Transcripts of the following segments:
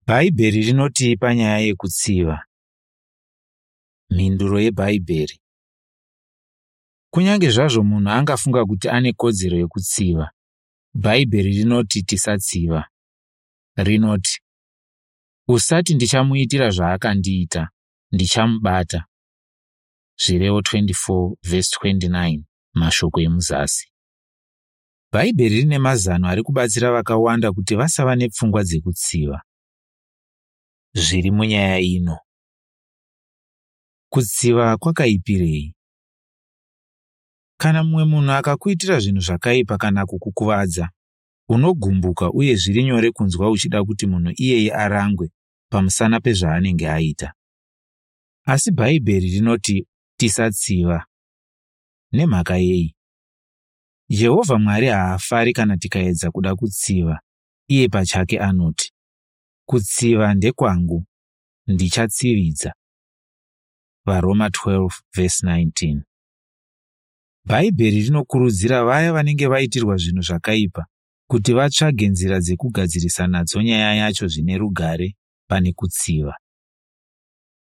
Bhaibheri rinotii panyaya yekutsiva? Mhinduro yeBhaibheri. Kunyange zvazvo munhu angafunga kuti ane kodzero yekutsiva, Bhaibheri rinoti tisatsiva. Rinoti, Usati ndichamuitira zvaakandiita, ndichamubata. Zvirevo 24 vhesi 29 mashoko emuzasi. Bhaibheri rine mazano ari kubatsira vakawanda kuti vasava nepfungwa dzekutsiva. Zviri munyaya ino. Kutsiva kwakaipirei? Kana mumwe munhu akakuitira zvinhu zvakaipa kana kukukuvadza, unogumbuka uye zviri nyore kunzwa uchida kuti munhu iyeye arangwe pamusana pezvaanenge aita. Asi Bhaibheri rinoti tisatsiva. Nemhaka yei? Jehovha Mwari haafari kana tikaedza kuda kutsiva. Iye pachake anoti, Kutsiva ndekwangu, ndichatsividza. VaRoma 12 vhesi 19. Bhaibheri rinokurudzira vaya vanenge vaitirwa zvinhu zvakaipa kuti vatsvage nzira dzekugadzirisa nadzo nyaya yacho zvine rugare pane kutsiva.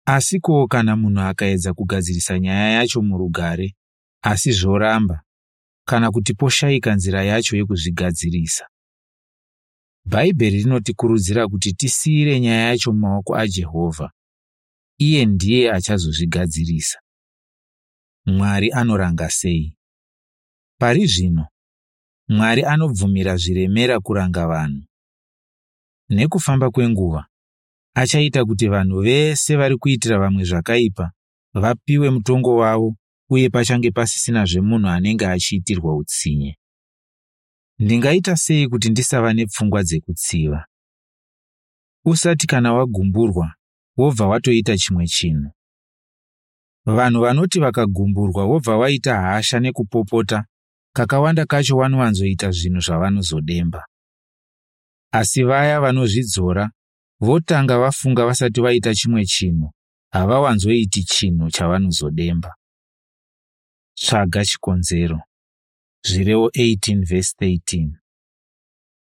Asi ko kana munhu akaedza kugadzirisa nyaya yacho murugare asi zvoramba kana kuti poshaika nzira yacho yekuzvigadzirisa? Bhaibheri rinotikurudzira kuti tisiyire nyaya yacho mumaoko aJehovha. Iye ndiye achazozvigadzirisa. Mwari anoranga sei? Pari zvino, Mwari anobvumira zviremera kuranga vanhu. Nekufamba kwenguva, achaita kuti vanhu vese vari kuitira vamwe zvakaipa vapiwe mutongo wavo uye pachange pasisinazve munhu anenge achiitirwa utsinye. Ndingaita sei kuti ndisava nepfungwa dzekutsiva? Usati kana wagumburwa wobva watoita chimwe chinhu. Vanhu vanoti vakagumburwa vobva vaita hasha nekupopota, kakawanda kacho vanowanzoita zvinhu zvavanozodemba. Asi vaya vanozvidzora votanga vafunga vasati vaita chimwe chinhu havawanzoiti chinhu chavanozodemba. Tsvaga chikonzero. Zvirevo 18 vhesi 13.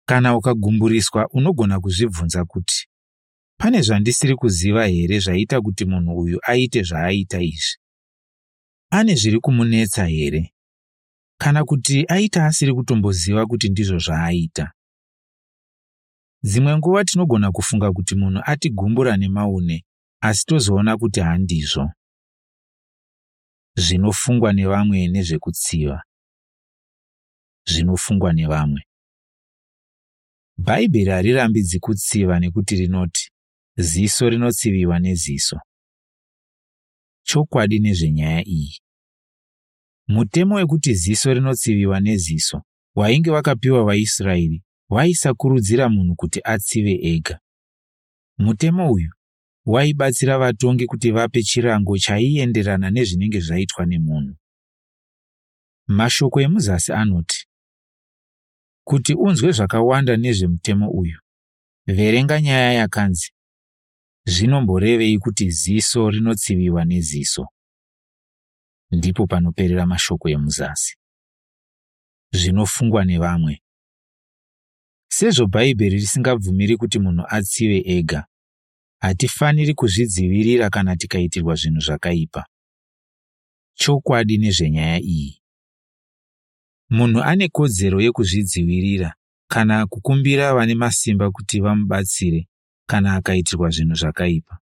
Kana ukagumburiswa unogona kuzvibvunza kuti, Pane zvandisiri kuziva here zvaita kuti munhu uyu aite zvaaita izvi? Ane zviri kumunetsa here? Kana kuti aita asiri kutomboziva kuti ndizvo zvaaita? Dzimwe nguva tinogona kufunga kuti munhu atigumbura nemaune asi tozoona kuti handizvo. Zvinofungwa nevamwe nezvekutsiva. Zvinofungwa nevamwe. Bhaibheri harirambidzi kutsiva nekuti rinoti, Ziso rinotsiviwa neziso. Chokwadi nezvenyaya iyi. Mutemo wekuti ziso rinotsiviwa neziso wainge wakapiwa vaIsraeri waisakurudzira munhu kuti atsive ega. Mutemo uyu waibatsira vatongi kuti vape chirango chaienderana nezvinenge zvaitwa nemunhu. Mashoko emuzasi anoti, Kuti unzwe zvakawanda nezvemutemo uyu, verenga nyaya yakanzi Zvinomborevei kuti ziso rinotsiviwa neziso? Ndipo panoperera mashoko emuzasi. Zvinofungwa nevamwe. Sezvo Bhaibheri risingabvumiri kuti munhu atsive ega, hatifaniri kuzvidzivirira kana tikaitirwa zvinhu zvakaipa. Chokwadi nezvenyaya iyi. Munhu ane kodzero yekuzvidzivirira kana kukumbira vane masimba kuti vamubatsire kana akaitirwa zvinhu zvakaipa.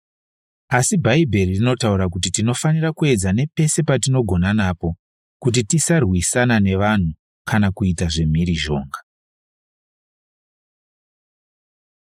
Asi Bhaibheri rinotaura kuti tinofanira kuedza nepese patinogona napo kuti tisarwisana nevanhu kana kuita zvemhirizhonga.